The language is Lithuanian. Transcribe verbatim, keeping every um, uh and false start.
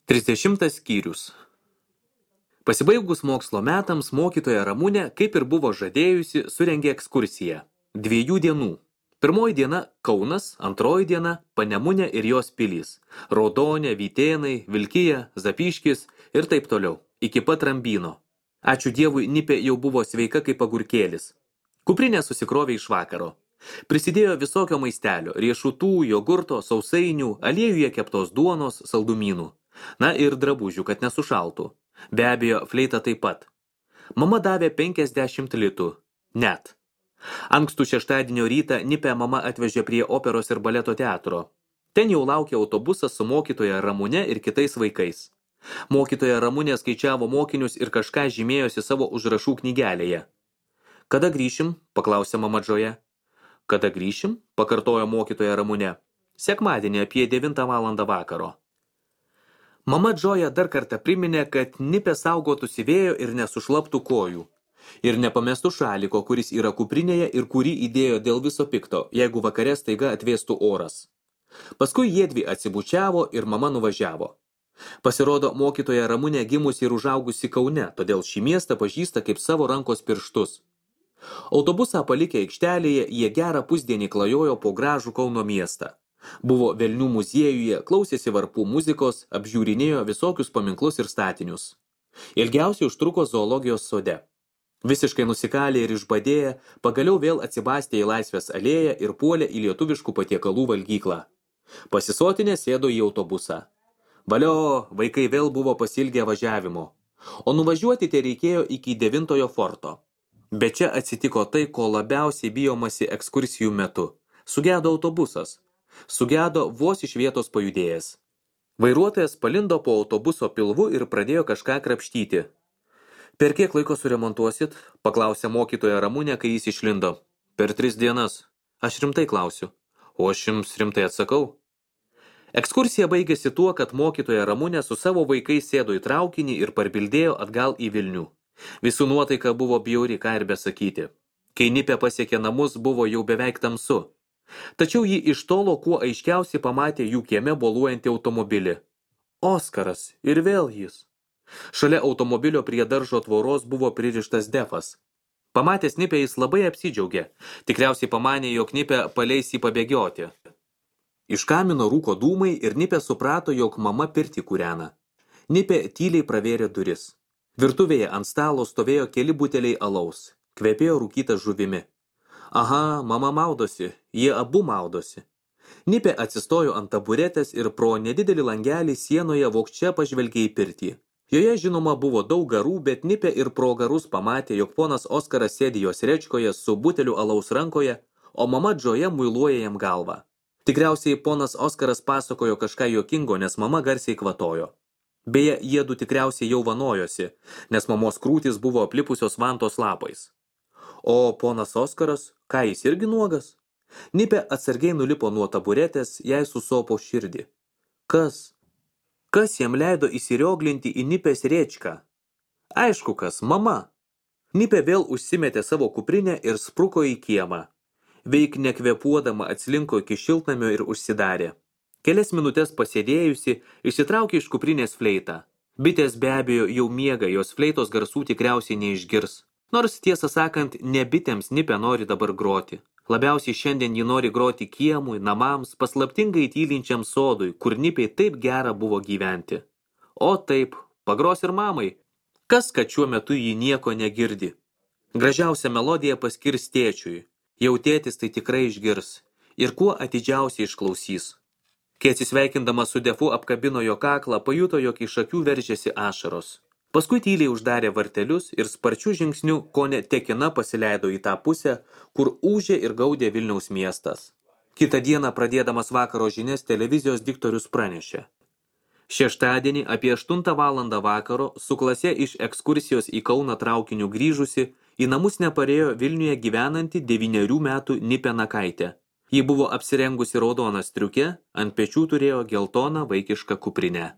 Trisdešimtas skyrius. Pasibaigus mokslo metams mokytoja Ramunė, kaip ir buvo žadėjusi, surengė ekskursiją. Dviejų dienų. Pirmoji diena Kaunas, antroji diena Panemunė ir jos pilys. Raudonė, Vytėnai, Vilkija, Zapyškis ir taip toliau. Iki pat Rambyno. Ačiū Dievui, Nipė jau buvo sveika kaip agurkėlis. Kuprinė susikrovė iš vakaro. Prisidėjo visokio maistelio, riešutų, jogurto, sausainių, aliejuje keptos duonos, saldumynų. Na ir drabužių, kad nesušaltų. Be abejo, fleita taip pat. Mama davė penkiasdešimt litų. Net. Ankstų šeštadienio rytą Nipę mama atvežė prie operos ir baleto teatro. Ten jau laukė autobusas su mokytoja Ramune ir kitais vaikais. Mokytoja Ramunė skaičiavo mokinius ir kažką žymėjosi savo užrašų knygelėje. Kada grįšim? Paklausė mama Džoja. Kada grįšim? Pakartojo mokytoja Ramunė. Sekmadienį apie devintą valandą vakaro. Mama Džoja dar kartą priminė, kad Nipė saugotųsi vėjo ir nesušlaptų kojų. Ir nepamestų šaliko, kuris yra kuprinėje ir kurį įdėjo dėl viso pikto, jeigu vakare staiga atvėstų oras. Paskui jiedvi atsibučiavo ir mama nuvažiavo. Pasirodo, mokytoja Ramunė gimusi ir užaugusi Kaune, todėl šį miestą pažįsta kaip savo rankos pirštus. Autobusą palikę aikštelėje, jie gerą pusdienį klajojo po gražų Kauno miestą. Buvo Velnių muziejuje, klausėsi varpų muzikos, apžiūrinėjo visokius paminklus ir statinius. Ilgiausiai užtruko zoologijos sode. Visiškai nusikalę ir išbadėję, pagaliau vėl atsibastė į Laisvės alėją ir puolė į lietuviškų patiekalų valgyklą. Pasisotinę sėdo į autobusą. Valio, vaikai vėl buvo pasilgę važiavimo. O nuvažiuoti tai reikėjo iki devintojo forto. Bet čia atsitiko tai, ko labiausiai bijomasi ekskursijų metu. Sugedo autobusas. Sugedo vos iš vietos pajudėjęs. Vairuotojas palindo po autobuso pilvu ir pradėjo kažką krapštyti. Per kiek laiko suremontuosit? Paklausė mokytoja Ramunė, kai jis išlindo. Per tris dienas. Aš rimtai klausiu. O aš jums rimtai atsakau. Ekskursija baigėsi tuo, kad mokytoja Ramunė su savo vaikais sėdo į traukinį ir parbildėjo atgal į Vilnių. Visų nuotaika buvo bjauri, ką ir besakyti. Kai Nipė pasiekė namus, buvo jau beveik tamsu. Tačiau ji iš tolo kuo aiškiausiai pamatė jų kieme boluojantį automobilį. Oskaras, ir vėl jis. Šalia automobilio prie daržo tvoros buvo pririštas Defas. Pamatęs Nipę jis labai apsidžiaugė. Tikriausiai pamanė, jog Nipę paleis jį pabėgioti. Iš kamino rūko dūmai ir Nipė suprato, jog mama pirtį kūrena. Nipė tyliai pravėrė duris. Virtuvėje ant stalo stovėjo keli buteliai alaus. Kvepėjo rūkyta žuvimi. Aha, mama maudosi, jie abu maudosi. Nipė atsistojo ant taburetės ir pro nedidelį langelį sienoje vogčia pažvelgė į pirtį. Joje žinoma buvo daug garų, bet Nipė ir pro garus pamatė, jog ponas Oskaras sėdi jos rečkoje su buteliu alaus rankoje, o mama Džoja muiluoja jam galvą. Tikriausiai ponas Oskaras pasakojo kažką juokingo, nes mama garsiai kvatojo. Beje, jiedu tikriausiai jau vanojosi, nes mamos krūtys buvo aplipusios vantos lapais. O ponas Oskaras, ką jis irgi nuogas? Nipė atsargiai nulipo nuo taburetės, jai susopo širdį. Kas? Kas jam leido įsirioglinti į Nipės rėčką? Aišku kas, mama. Nipė vėl užsimetė savo kuprinę ir spruko į kiemą. Veik nekvepuodama atslinko iki šiltnamio ir užsidarė. Kelias minutės pasėdėjusi, išsitraukė iš kuprinės fleitą. Bitės be abejo jau miega, jos fleitos garsų tikriausiai neišgirs. Nors tiesą sakant, ne bitėms Nipė nori dabar groti. Labiausiai šiandien ji nori groti kiemui, namams, paslaptingai tylinčiam sodui, kur Nipei taip gera buvo gyventi. O taip, pagros ir mamai. Kas, kad šiuo metu ji nieko negirdi? Gražiausią melodiją paskirs tėčiui. Jau tėtis tai tikrai išgirs. Ir kuo atidžiausiai išklausys. Kai atsisveikindama su Defu apkabino jo kaklą, pajuto, jog iš akių veržėsi ašaros. Paskui tyliai uždarė vartelius ir sparčių žingsnių kone tekina pasileido į tą pusę, kur ūžė ir gaudė Vilniaus miestas. Kitą dieną pradėdamas vakaro žinias televizijos diktorius pranešė. Šeštadienį apie aštuntą valandą vakaro su klase iš ekskursijos į Kauną traukiniu grįžusi, į namus neparėjo Vilniuje gyvenanti devynerių metų Nipė Nakaitė. Ji buvo apsirengusi raudoną striukę, ant pečių turėjo geltoną vaikišką kuprinę.